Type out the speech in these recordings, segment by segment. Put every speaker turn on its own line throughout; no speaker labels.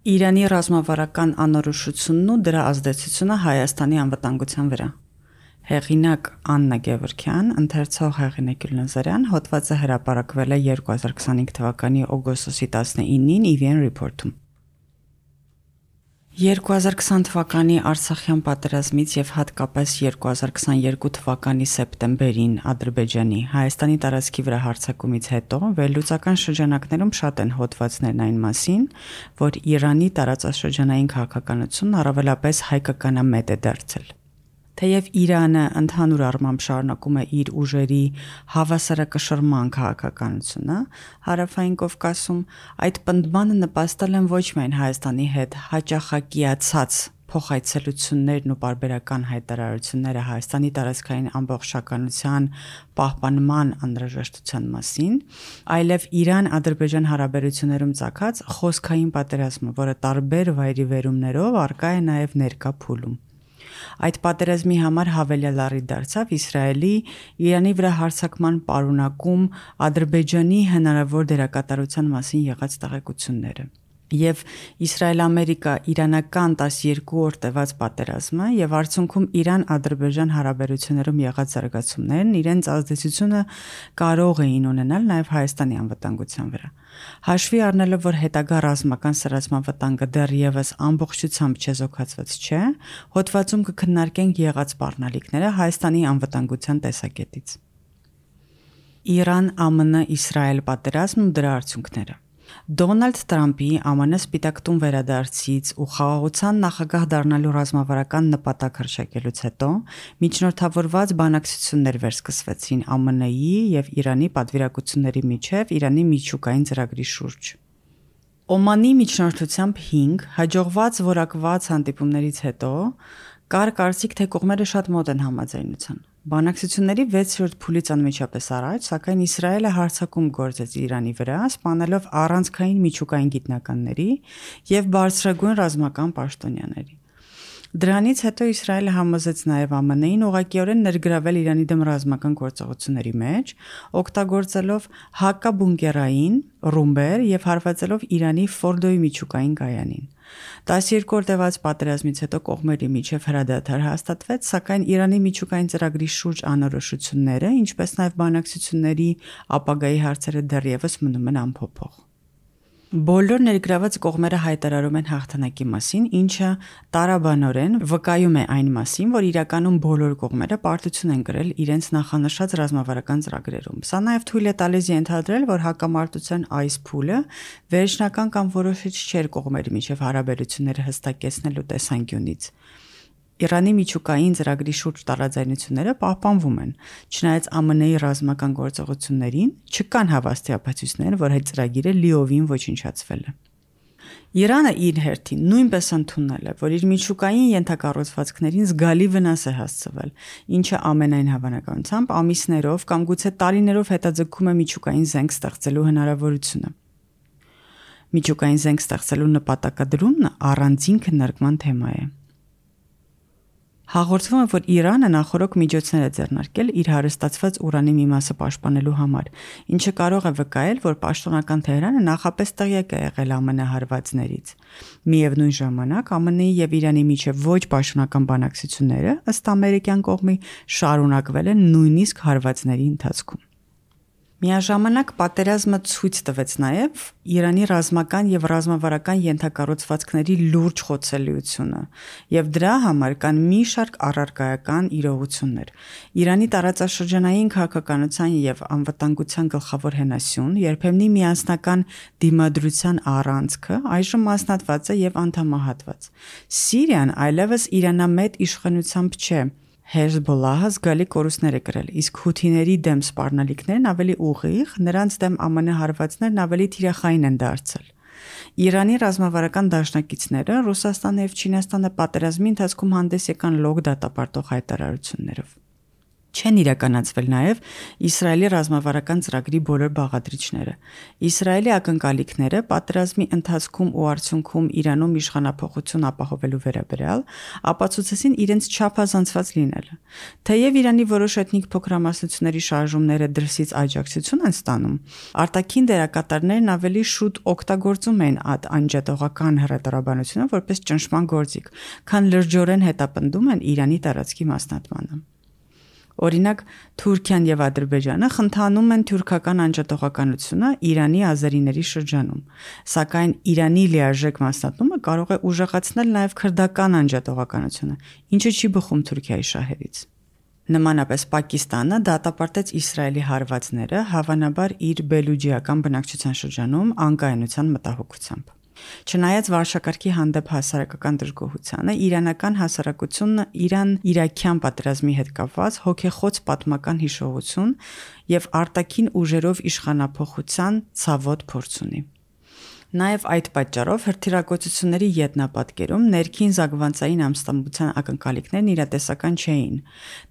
Իրանի ռազմավարական անորոշությունն ու դրա ազդեցությունը Հայաստանի անվտանգության վրա։ Հեղինակ Աննա Գևորգյան, ընթերցող Հեղինե Գյուլնազարյան, հոդվածը հրապարակվել է 2025 թվականի օգոստոսի 19-ին EVN Report-ում։ 2020 թվականի Արցախյան պատերազմից եւ հատկապես 2022 թվականի սեպտեմբերին Ադրբեջանի Հայաստանի տարածքի վրա հարձակումից հետո վերլուծական շրջանակներում շատ են հոդվածներն այն մասին, որ Իրանի տարածաշրջանային քաղաքականությունն առավելապես հայկականամետ է դարձել։ Թեև Իրանը ընդհանուր առմամբ շարունակում է իր ուժերի հավասարակշռման քաղաքականությունը, Հարավային Կովկասում այդ պնդմանը նպաստել են ոչ միայն Հայաստանի հետ հաճախակիացած փոխայցելություններն ու պարբերական հայտարարությունները Հայաստանի տարածքային ամբողջականության պահպանման անհրաժեշտության մասին, այլև Իրան-Ադրբեջան հարաբերություններում ծագած խոսքային պատերազմը, որը տարբեր վայրիվերումներով առկա է նաև ներկա փուլում։ Այդ պատերազմի համար հավելյալ առիթ դարձավ Իսրայելի Իրանի վրա հարձակման պարունակում Ադրբեջանի հնարավոր դերակատարության մասին եղած տեղեկությունները։ Եվ Իսրայել-Ամերիկա-իրանական 12 օր տևած պատերազմը եւ արդյունքում Իրան-Ադրբեջան հարաբերություններում եղած զարգացումներն իրենց ազդեցությունը կարող էին ունենալ նաեւ Հայաստանի անվտանգության վրա։ Հաշվի առնելով, որ հետագա ռազմական սրացման վտանգը դեռևս ամբողջությամբ չեզոքացված չէ, հոդվածում կքննարկենք եղած սպառնալիքները Հայաստանի անվտանգության տեսակետից։ Իրան-ԱՄՆ-Իսրայել պատերազմն ու դրա արդյունքները։ Դոնալդ Թրամփի ԱՄՆ Սպիտակ տուն վերադարձից ու խաղաղության նախագահ դառնալու ռազմավարական նպատակ հռչակելուց հետո միջնորդավորված բանակցություններ վերսկսվեցին ԱՄՆ-ի եւ Իրանի պատվիրակությունների միջև Իրանի միջուկային ծրագրի շուրջ։ Օմանի միջնորդությամբ 5 հաջողված որակված հանդիպումներից հետո կար կարծիք, թե կողմերը շատ մոտ են համաձայնության։ Բանակցությունների 6-րդ փուլից անմիջապես առաջ, սակայն Իսրայելը հարձակում գործեց Իրանի վրա, սպանելով առանցքային միջուկային գիտնականների եւ բարձրագույն ռազմական պաշտոնյաների։ Դրանից հետո Իսրայելը համոզեց նաև ԱՄՆ-ին ուղղակիորեն ներգրավել Իրանի դեմ ռազմական գործողությունների մեջ, օգտագործելով հակաբունկերային ռումբեր եւ հարվածելով Իրանի Ֆորդոյի միջուկային կայանին։ 12 օր տևած պատերազմից հետո կողմերի միջև հրադադար հաստատվեց, սակայն Իրանի միջուկային ծրագրի շուրջ անորոշությունները, ինչպես նաև բանակցությունների ապագայի հարցերը դեռևս մնում են անփոփոխ։ Բոլոր ներգրաված կողմերը հայտարարում են հաղթանակի մասին, ինչը տարաբանորեն վկայում է այն մասին, որ իրականում բոլոր կողմերը պարտություն են կրել իրենց նախանշած ռազմավարական ծրագրերում։ Սա նաև թույլ է տալիս ենթադրել, որ հակամարտության այս փուլը վերջնական կամ որոշիչ չէր կողմերի միջև հարաբերությունները հստակեցնելու տեսանկյունից։ Իրանի միջուկային ծրագրի շուրջ տարաձայնությունները պահպանվում են, չնայած ԱՄՆ-ի ռազմական գործողություններին չկան հավաստիապացույցներ, որ այդ ծրագիրը լիովին ոչնչացվել է։ Իրանը իր հերթին նույնպես ընդունել է, որ իր միջուկային ենթակառուցվածքներին զգալի վնաս է հասցվել, ինչը ամենայն հավանականությամբ ամիսներով կամ գուցե տարիներով հետաձգում է միջուկային զենք ստեղծելու հնարավորությունը։ Միջուկային զենք ստեղծելու նպատակադրումն առանձին քննարկման թեմա է։ Հաղորդվում է, որ Իրանը նախորոք միջոցներ է ձեռնարկել իր հարստացված ուրանի մի մասը պաշտպանելու համար, ինչը կարող է վկայել, որ պաշտոնական Թեհրանը նախապես տեղյակ է եղել ԱՄՆ հարվածներից։ Միևնույն ժամանակ ԱՄՆ-ի եւ Իրանի միջև ոչ պաշտոնական բանակցությունները ըստ ամերիկյան կողմի շարունակվել են նույնիսկ հարվածների ընթացքում։ Միաժամանակ պատերազմը ցույց տվեց նաև Իրանի ռազմական եւ ռազմավարական ենթակառուցվածքների լուրջ խոցելիությունը, եւ դրա համար կան մի շարք առարկայական իրողություններ։ Իրանի տարածաշրջանային քաղաքականության եւ անվտանգության գլխավոր հենասյուն, երբեմնի միասնական դիմադրության առանցքը այժմ մասնատված է եւ անդամահատված։ Սիրիան այլևս իրանամետ իշխանությամբ չէ։ Հեզբոլլահը զգալի կորուստներ է կրել, իսկ հութիների դեմ սպառնալիքներն ավելի ուղիղ, նրանց դեմ ԱՄՆ հարվածներն ավելի թիրախային են դարձել։ Իրանի ռազմավարական դաշնակիցները Ռուսաստանը եւ Չինաստանը պատերազմի ընթացքում հանդես եկան լոկ դատապարտող հայտարարություններով։ Չեն իրականացվել նաև Իսրայելի ռազմավարական ծրագրի բոլոր բաղադրիչները։ Իսրայելի ակնկալիքները պատերազմի ընթացքում ու արդյունքում Իրանում իշխանափոխություն ապահովելու վերաբերյալ ապացուցեցին իրենց չափազանցված լինելը։ Թեև Իրանի որոշ էթնիկ փոքրամասնությունների շարժումները դրսից աջակցություն են ստանում, արտաքին դերակատարներն ավելի շուտ օգտագործում են այդ անջատողական հռետորաբանությունը որպես ճնշման գործիք, քան լրջորեն հետապնդում են Իրանի տարածքի մասնատմանը։ Օրինակ, Թուրքիան եւ Ադրբեջանը խնդանում են թուրքական անջատողականությունը Իրանի ազերիների շրջանում, սակայն Իրանի լիարժեք մասնատումը կարող է ուժեղացնել նաեւ քրդական անջատողականությունը, ինչը չի բխում Թուրքիայի շահերից։ Նմանապես Պակիստանը դատապարտեց Իսրայելի հարվածները, հավանաբար իր բելուջիական բնակչության շրջանում անկայունության մտահոգությամբ։ Չնայած վարշակարգի հանդեպ հասարակական դժգոհությանը, իրանական հասարակությունն Իրան-իրաքյան պատերազմի հետ կապված հոգեխոց պատմական հիշողություն եւ արտաքին ուժերով իշխանափոխության ցավոտ փորձ ունի։ Նաև այդ պատճառով հրթիռագործությունների յետնապատկերում ներքին զանգվածային ամստամբության ակնկալիքներն իրատեսական չէին։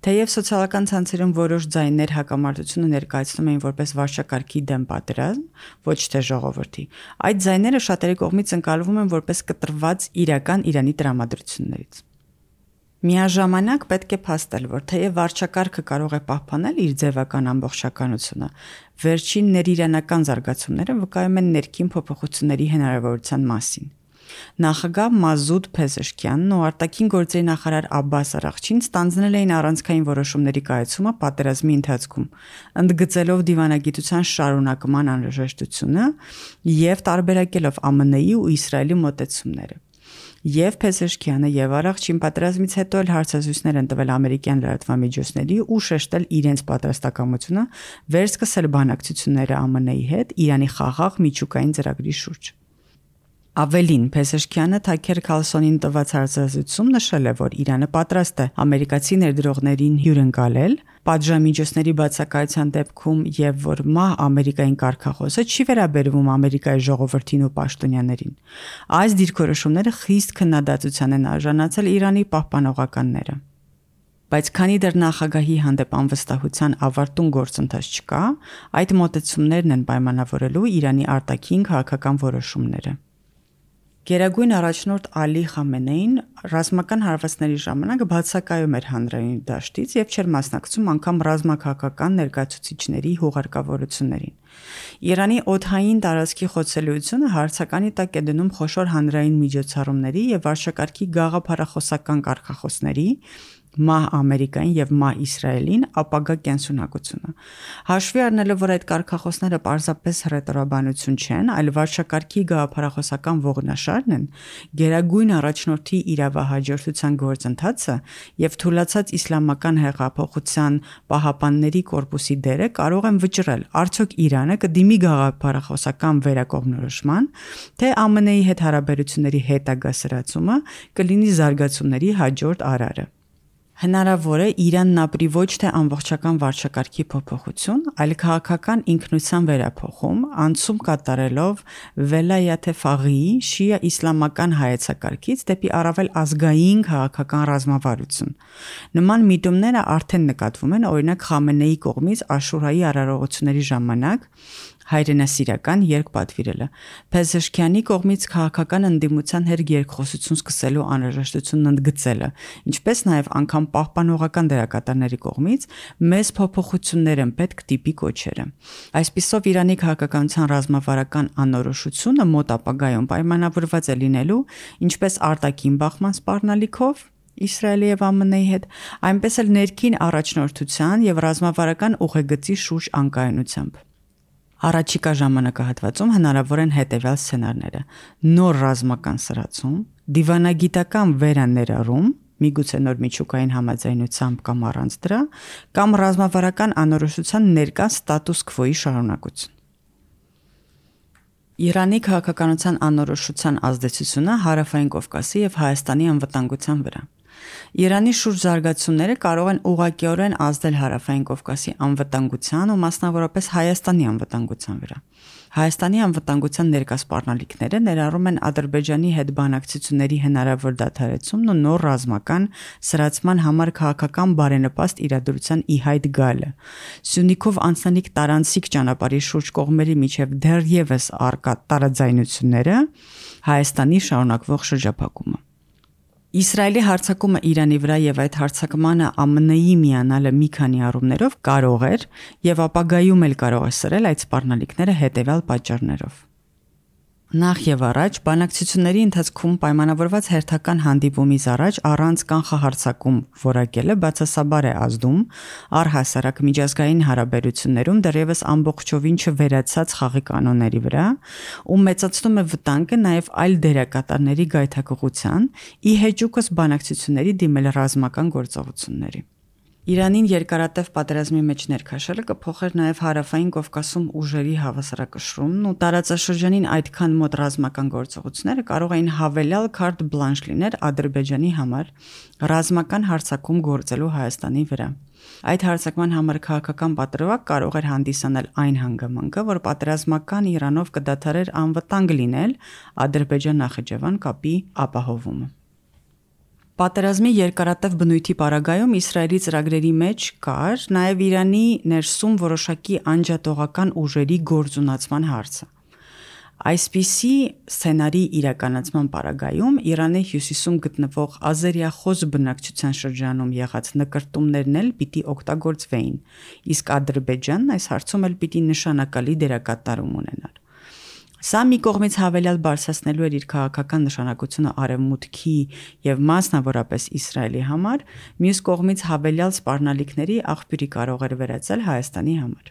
Թեև սոցիալական ցանցերում որոշ ձայներ հակամարտությունը ներկայացնում էին որպես վարչակարգի դեմ պատերազմ, ոչ թե ժողովրդի, այդ ձայները շատերի կողմից ընկալվում են որպես կտրված իրական Իրանի տրամադրություններից։ Միաժամանակ պետք է փաստել, որ թեև վարչակարգը կարող է պահպանել իր ձևական ամբողջականությունը, վերջին ներիրանական զարգացումները վկայում են ներքին փոփոխությունների հնարավորության մասին։ Նախագահ Մազուդ Փեզեշքյանն ու արտաքին գործերի նախարար Աբբաս Արաղչին ստանձնել էին առանցքային որոշումների կայացումը պատերազմի ընթացքում, ընդգծելով դիվանագիտության շարունակման անհրաժեշտությունը եւ տարբերակելով ԱՄՆ-ի ու Իսրայելի մոտեցումները։ Եվ Փեզեշքյանը եւ Արաղչին պատերազմից հետո էլ հարցազրույցներ են տվել ամերիկյան լրատվամիջոցների ու շեշտել իրենց պատրաստակամությունը վերսկսել բանակցությունները ԱՄՆ-ի հետ Իրանի խաղաղ միջուկային ծրագրի շուրջ։ Ավելին, Փեզեշքյանը Թաքեր Քալսոնին տված հարցազրույցում նշել է, որ Իրանը պատրաստ է ամերիկացի ներդրողներին հյուրընկալել պատժամիջոցների բացակայության դեպքում եւ որ մահ Ամերիկային կարգախոսը չի վերաբերվում Ամերիկայի ժողովրդին ու պաշտոնյաներին։ Այս դիրքորոշումները խիստ քննադատության են արժանացել Իրանի պահպանողականները։ Բայց քանի դեռ նախագահի հանդեպ անվստահության ավարտուն գործընթաց չկա, այդ մոտեցումներն են պայմանավորելու Իրանի արտաքին քաղաքական որոշումները։ Գերագույն առաջնորդ Ալի Խամենեին ռազմական հարվածների ժամանակ բացակայում էր հանրային դաշտից եւ չէր մասնակցում անգամ ռազմաքաղաքական ներկայացուցիչների հուղարկավորություններին։ Իրանի օդային տարածքի խոցելիությունը հարցականի տակ է դնում խոշոր հանրային միջոցառումների եւ վարչակարգի գաղափարախոսական կարգախոսների մահ Ամերիկային եւ մահ Իսրայելին ապագա կենսունակությունը։ Հաշվի առնելով, որ այդ կարգախոսները պարզապես հռետորաբանություն չեն, այլ վարչակարգի գաղափարախոսական ողնաշարն են, գերագույն առաջնորդի իրավահաջորդության գործընթացը եւ թուլացած իսլամական հեղափոխության պահապանների կորպուսի դերը կարող են վճռել, արդյոք Իրանը կդիմի գաղափարախոսական վերակողմնորոշման, թե ԱՄՆ-ի հետ հարաբերությունների հետագա սրացումը կլինի զարգացումների հաջորդ արարը։ Հնարավոր է Իրանն ապրի ոչ թե ամբողջական վարչակարգի փոփոխություն, այլ քաղաքական ինքնության վերափոխում, անցում կատարելով Վելայաթ-e Ֆաղիի շիա իսլամական հայեցակարգից դեպի առավել ազգային քաղաքական ռազմավարություն։ Նման միտումները արդեն նկատվում են օրինակ Խամենեի կողմից Աշուրայի արարողությունների ժամանակ հայրենասիրական երգ պատվիրելը, Փեզեշքյանի կողմից քաղաքական ընդդիմության հետ երկխոսություն սկսելու անհրաժեշտությունն ընդգծելը, ինչպես նաև անգամ պահպանողական դերակատարների կողմից մեծ փոփոխություններ են պետք տիպի կոչերը։ Այսպիսով Իրանի քաղաքականության ռազմավարական անորոշությունը մոտ ապագայում պայմանավորված է լինելու ինչպես արտաքին բախման սպառնալիքով Իսրայելի եւ ԱՄՆ-ի հետ, այնպես էլ ներքին առաջնորդության եւ ռազմավարական ուղեգծի շուրջ անկայունությամբ։ Առաջիկա ժամանակահատվածում հնարավոր են հետևյալ սցենարները՝ նոր ռազմական սրացում, դիվանագիտական վերաներառում, միգուցե նոր միջուկային համաձայնությամբ կամ առանց դրա, կամ ռազմավարական անորոշության ներկա ստատուս քվոյի շարունակություն։ Իրանի քաղաքականության անորոշության ազդեցությունը Հարավային Կովկասի եւ Հայաստանի անվտանգության վրա։ Իրանի շուրջ զարգացումները կարող են ուղղակիորեն ազդել Հարավային Կովկասի անվտանգության ու մասնավորապես Հայաստանի անվտանգության վրա։ Հայաստանի անվտանգության ներկա սպառնալիքները ներառում են Ադրբեջանի հետ բանակցությունների հնարավոր դադարեցումն ու նոր ռազմական սրացման համար քաղաքական բարենպաստ իրադրության ի հայտ գալը, Սյունիքով անցնելիք տարանցիկ ճանապարհի շուրջ կողմերի միջև դեռևս առկա տարաձայնությունները, Հայաստանի շարունակվող շրջափակումը։ Իսրայելի հարձակումը Իրանի վրա եւ այդ հարձակմանը ԱՄՆ-ի միանալը մի քանի առումներով կարող էր եւ ապագայում էլ կարող է սրել այդ սպառնալիքները հետեւյալ պատճառներով։ Նախ եւ առաջ բանակցությունների ընթացքում պայմանավորված հերթական հանդիպումից առաջ առանց կանխահարձակում որակելը բացասաբար է ազդում առհասարակ միջազգային հարաբերություններում դեռևս ամբողջովին չվերացած խաղի կանոնների վրա ու մեծացնում է վտանգը նաեւ այլ դերակատարների գայթակղության ի հեճուկս բանակցությունների դիմել ռազմական գործողությունների։ Իրանին երկարատև պատերազմի մեջ ներքաշելը կփոխեր նաև հարավային Կովկասում ուժերի հավասարակշռումն ու տարածաշրջանին այդքան մոտ ռազմական գործողությունները կարող էին հավելյալ քարտ բլանշ լինել Ադրբեջանի համար ռազմական հարձակում գործելու Հայաստանի վրա։ Այդ հարձակման համար քաղաքական պատրվակ կարող էր հանդիսանալ այն հանգամանքը, որ պատերազմական Իրանով կդադարեր անվտանգ լինել Ադրբեջան-Նախիջևան կապի ապահովումը։ Պատերազմի երկարատև բնույթի պարագայում Իսրայելի ծրագրերի մեջ կար նաև Իրանի ներսում որոշակի անջատողական ուժերի գործունացման հարցը։ Այսպիսի սցենարի իրականացման պարագայում Իրանի հյուսիսում գտնվող ազերիախոս բնակչության շրջանում եղած նկրտումներն էլ պիտի օգտագործվեին, իսկ Ադրբեջանն այս հարցում էլ պիտի նշանակալի դերակատարում ունենար։ Սա մի կողմից հավելյալ բարձրացնելու էր իր քաղաքական նշանակությունը Արևմուտքի եւ մասնավորապես Իսրայելի համար, մյուս կողմից հավելյալ սպառնալիքների աղբյուրի կարող էր վերածել Հայաստանի համար։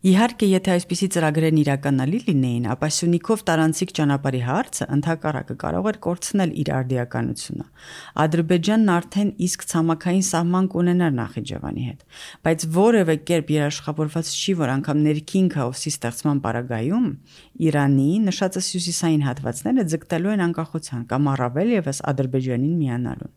Իհարկե, եթե այսպիսի ծրագրերն իրականալի լինեին, ապա Սյունիքով տարանցիկ ճանապարհի հարցը ընդհակառակը կարող էր կորցնել իր արդիականությունը։ Ադրբեջանն արդեն իսկ ցամաքային սահման կունենար Նախիջևանի հետ, բայց որևէ կերպ երաշխավորված չի, որ անգամ ներքին քաոսի ստեղծման պարագայում Իրանի նշածս հյուսիսային հատվածները ձգտելու են անկախության կամ առավել եւս Ադրբեջանին միանալուն։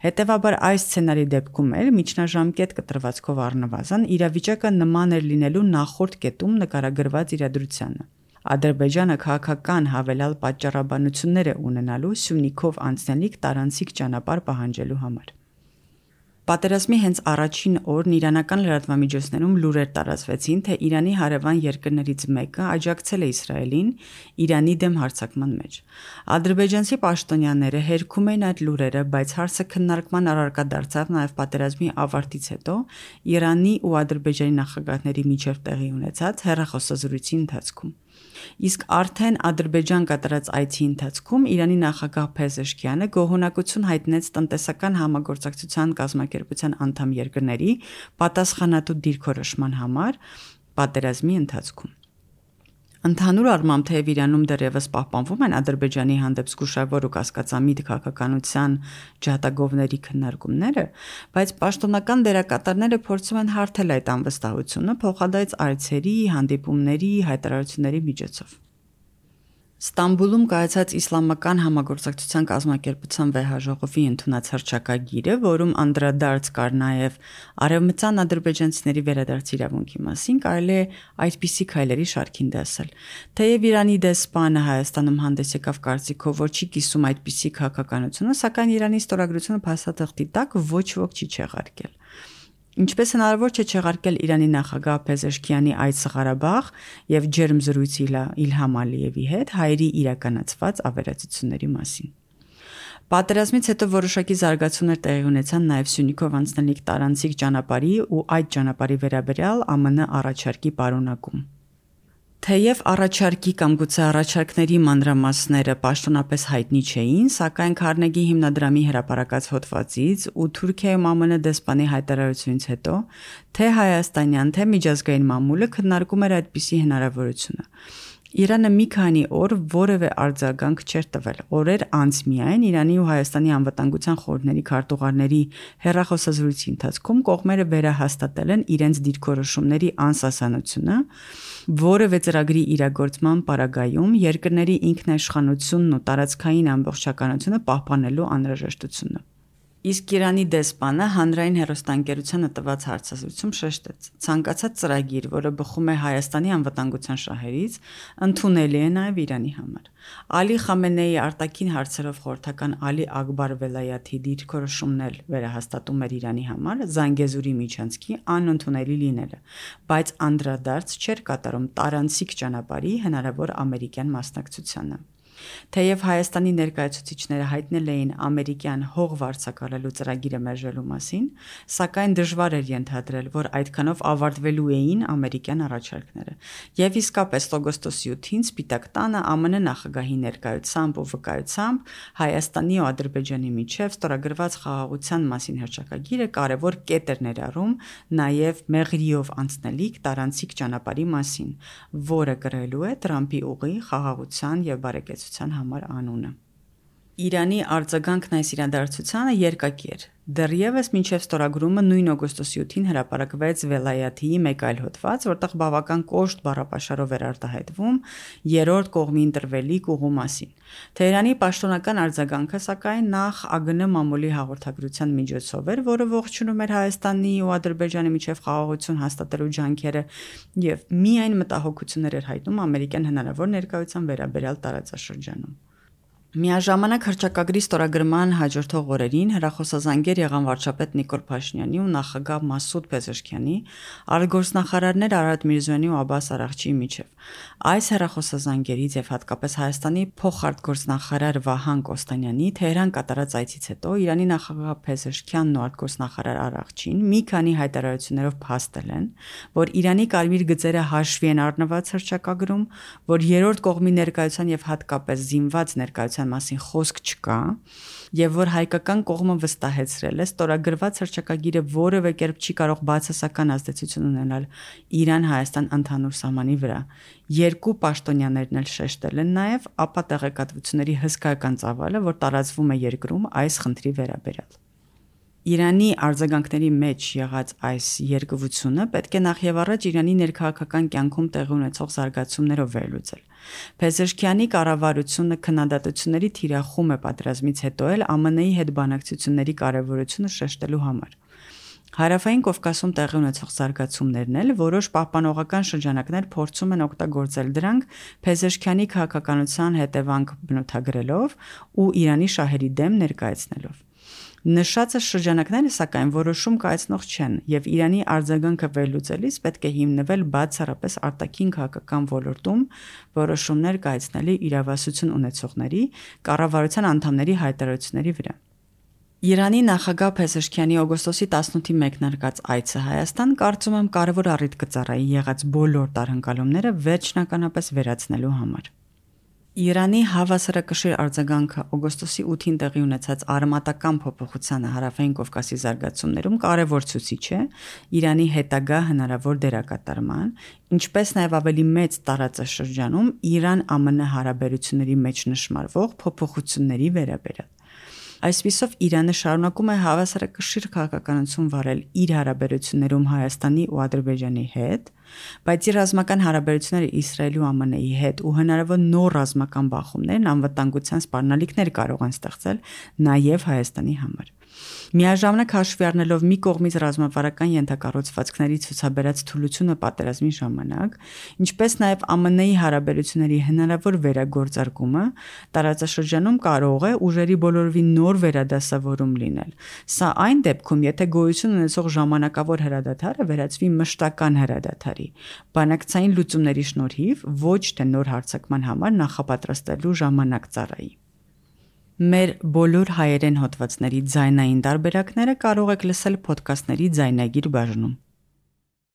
Հետևաբար այս սցենարի դեպքում էլ միջնաժամկետ կտրվածքով առնվազն իրավիճակը նման էր լինելու նախորդ կետում նկարագրված իրադրությանը։ Ադրբեջանը քաղաքական հավելյալ պատճառաբանություններ է ունենալու Սյունիքով անցնելիք տարանցիկ ճանապարհ պահանջելու համար։ Պատերազմի հենց առաջին օրն իրանական լրատվամիջոցներում լուրեր տարածվեցին, թե Իրանի հարևան երկրներից մեկը աջակցել է Իսրայելին Իրանի դեմ հարձակման մեջ։ Ադրբեջանցի պաշտոնյաները հերքում էին այդ լուրերը, բայց հարցը քննարկման առարկա դարձավ նաև պատերազմի ավարտից հետո Իրանի ու Ադրբեջանի նախագահների միջև տեղի ունեցած հեռախոսազրույցի ընթացքում։ Իսկ արդեն Ադրբեջան կատարած այցի ընթացքում Իրանի նախագահ Փեզեշքյանը գոհունակություն հայտնեց տնտեսական համագործակցության կազմակերպության անդամ երկրների պատասխանատու դիրքորոշման համար պատերազմի ընթացքում։ Ընդհանուր առմամբ թեև Իրանում դեռևս պահպանվում են Ադրբեջանի հանդեպ զգուշավոր ու կասկածամիտ քաղաքականության ջատագովների քննարկումները, բայց պաշտոնական դերակատարները փորձում են հարթել այդ անվստահությունը փոխադարձ այցերի, հանդիպումների, հայտարարությունների միջոցով։ Ստամբուլում կայացած Իսլամական համագործակցության կազմակերպության վեհաժողովի ընդունած հռչակագիրը, որում անդրադարձ կար նաև արևմտյան ադրբեջանցիների վերադարձի իրավունքի մասին, կարելի է այդպիսի քայլերի շարքին դասել։ Թեև Իրանի դեսպանը Հայաստանում հանդես եկավ կարծիքով, որ չի կիսում այդպիսի քաղաքականությունը, սակայն Իրանի ստորագրությունը փաստաթղթի տակ ոչ ոք չի չեղարկել։ Ինչպես հնարավոր չէ չեղարկել Իրանի նախագահ Փեզեշքյանի այցը Ղարաբաղ եւ ջերմ զրույցի Իլհամ Ալիևի հետ հայերի իրականացված ավերածությունների մասին։ Պատերազմից հետո որոշակի զարգացումներ տեղի ունեցան նաև Սյունիքով անցնելիք տարանցիկ ճանապարհի ու այդ ճանապարհի վերաբերյալ ԱՄՆ առաջարկի պարունակում։ Թեև առաջարկի կամ գուցե առաջարկների մանրամասները պաշտոնապես հայտնի չէին, սակայն Քարնեգի հիմնադրամի հրապարակած հոդվածից ու Թուրքիայում ԱՄՆ դեսպանի հայտարարությունից հետո թե հայաստանյան, թե միջազգային մամուլը քննարկում էր այդպիսի հնարավորությունը։ Իրանը մի քանի օր որևէ արձագանք չէր տվել։ Օրեր անց միայն Իրանի ու Հայաստանի անվտանգության խորհուրդների քարտուղարների հեռախոսազրույցի ընթացքում կողմերը վերահաստատել են իրենց դիրքորոշումների անսասանությունը, որևէ ծրագրի իրագործման պարագայում երկրների ինքնաիշխանությունն ու տարածքային ամբողջականությունը պահպանելու անհրաժեշտությունը։ Իսկ Իրանի դեսպանը հանրային հեռուստաընկերությանը տված հարցազրույցում շեշտեց. ցանկացած ծրագիր, որը բխում է Հայաստանի անվտանգության շահերից, ընդունելի է նաև Իրանի համար։ Ալի Խամենեի արտաքին հարցերով խորհրդական Ալի Ակբար Վելայաթի դիրքորոշումն էլ վերահաստատում էր Իրանի համար Զանգեզուրի միջանցքի անընդունելի լինելը, բայց անդրադարձ չէր կատարում տարանցիկ ճանապարհի հնարավոր ամերիկյան մասնակցությանը։ Թեև Հայաստանի ներկայացուցիչները հայտնել էին ամերիկյան հող վարձակալելու ծրագիրը մերժելու մասին, սակայն դժվար էր ենթադրել, որ այդքանով ավարտվելու էին ամերիկյան առաջարկները։ Եվ իսկապես օգոստոսի 8-ին Սպիտակ տանը ԱՄՆ նախագահի ներկայությամբ ու վկայությամբ Հայաստանի ու Ադրբեջանի միջև ստորագրված խաղաղության մասին հռչակագիրը կարևոր կետ էր ներառում նաև մեղրիով անցնելիք տարանցիկ ճանապարհի մասին, որը կրելու է Տրամփի ուղի խաղաղության եւ բարեկեցության համար անունը։ Իրանի արձագանքն այս իրադարձությանը երկակի էր։ Դեռևս մինչև ստորագրումը նույն օգոստոսի 8-ին հրապարակվեց Վելայաթիի մեկ այլ հոդված, որտեղ բավական կոշտ բառապաշարով էր արտահայտվում երրորդ կողմի ընտրվելիք ուղու մասին։ Թեհրանի պաշտոնական արձագանքը, սակայն, նախ ԱԳՆ մամուլի հաղորդագրության միջոցով էր, որը ողջունում էր Հայաստանի ու Ադրբեջանի միջև խաղաղություն հաստատելու ջանքերը եւ միայն մտահոգություններ էր հայտնում ամերիկյան հնարավոր ներկայության վերաբերյալ տարածաշրջանում։ Միաժամանակ հռչակագրի ստորագրման հաջորդող օրերին հեռախոսազանգեր եղան վարչապետ Նիկոլ Փաշինյանի ու նախագահ Մասուդ Փեզեշքյանի, արտգործնախարարներ Արարատ Միրզոյանի ու Աբբաս Արաղչիի միջև։ Այս հեռախոսազանգերից եւ հատկապես Հայաստանի փոխարտգործնախարար Վահան Կոստանյանի Թեհրան կատարած այցից հետո Իրանի նախագահ Փեզեշքյանն ու արտգործնախարար Արաղչին մի քանի հայտարարություններով փաստել են, որ Իրանի կարմիր գծերը հաշվի են առնված հռչակագրում, որ երրորդ կողմի ներկայության եւ հատկապես զինված ներկայության մասին խոսք չկա եւ որ հայկական կողմը վստահեցրել է ստորագրված հռչակագիրը որևէ կերպ չի կարող բացասական ազդեցություն ունենալ Իրան-Հայաստան ընդհանուր սահմանի վրա։ Երկու պաշտոնյաներն էլ շեշտել են նաեւ ապա տեղեկատվությունների հսկայական ծավալը, որ տարածվում է երկրում այս խնդրի վերաբերյալ։ Իրանի արձագանքների մեջ եղած այս երկվությունը պետք է նախ եւ առաջ Իրանի ներքաղաքական կյանքում տեղի ունեցող զարգացումներով վերլուծել։ Փեզեշքյանի կառավարությունը քննադատությունների թիրախում է պատերազմից հետո էլ ԱՄՆ-ի հետ բանակցությունների կարևորությունը շեշտելու համար։ Հարավային Կովկասում տեղի ունեցող զարգացումներն էլ որոշ պահպանողական շրջանակներ փորձում են օգտագործել դրանք Փեզեշքյանի քաղաքականության հետևանք բնութագրելով ու Իրանի շահերի դեմ ներկայացնելով։ Նշածը շրջանակները, սակայն, որոշում կայացնող չեն, եւ Իրանի արձագանքը վերլուծելիս պետք է հիմնվել բացառապես արտաքին քաղաքական ոլորտում որոշումներ կայացնելի իրավասություն ունեցողների, կառավարության անդամների հայտարարությունների վրա։ Իրանի նախագահ Փեզեշքյանի օգոստոսի 18-ի մեկնարկած այցը Հայաստան կարծում եմ կարևոր առիթ կծառայի եղած բոլոր տարհնկալումները վերջնականապես վերացնելու համար։ Իրանի հավասարակշիռ արձագանքը օգոստոսի 8-ին տեղի ունեցած արմատական փոփոխությանը Հարավային Կովկասի զարգացումներում կարևոր ցուցիչ է Իրանի հետագա հնարավոր դերակատարման, ինչպես նաև ավելի մեծ տարածաշրջանում Իրան-ԱՄՆ հարաբերությունների մեջ նշմարվող փոփոխությունների վերաբերյալ։ Այսպիսով Իրանը շարունակում է հավասարակշիռ քաղաքականություն վարել իր հարաբերություններում Հայաստանի ու Ադրբեջանի հետ, բայց իր ռազմական հարաբերությունները Իսրայելի ու ԱՄՆ-ի հետ ու հնարավոր նոր ռազմական բախումներն անվտանգության սպառնալիքներ կարող են ստեղծել նաև Հայաստանի համար։ Միաժամանակ հաշվի առնելով մի կողմից ռազմավարական ենթակառուցվածքների ցուցաբերած թուլությունը պատերազմի ժամանակ, ինչպես նաև ԱՄՆ-ի հարաբերությունների հնարավոր վերագործարկումը տարածաշրջանում կարող է ուժերի բոլորովին նոր վերադասավորում լինել։ Սա այն դեպքում, եթե գոյություն ունեցող ժամանակավոր հրադադարը վերածվի մշտական հրադադարի, բանակցային լուծումների շնորհիվ ոչ թե նոր հարձակման համար նախապատրաստելու ժամանակ ծառայի։ Մեր բոլոր հայերեն հոդվածների ձայնային տարբերակները կարող եք լսել փոդքասթների ձայնագիր բաժնում։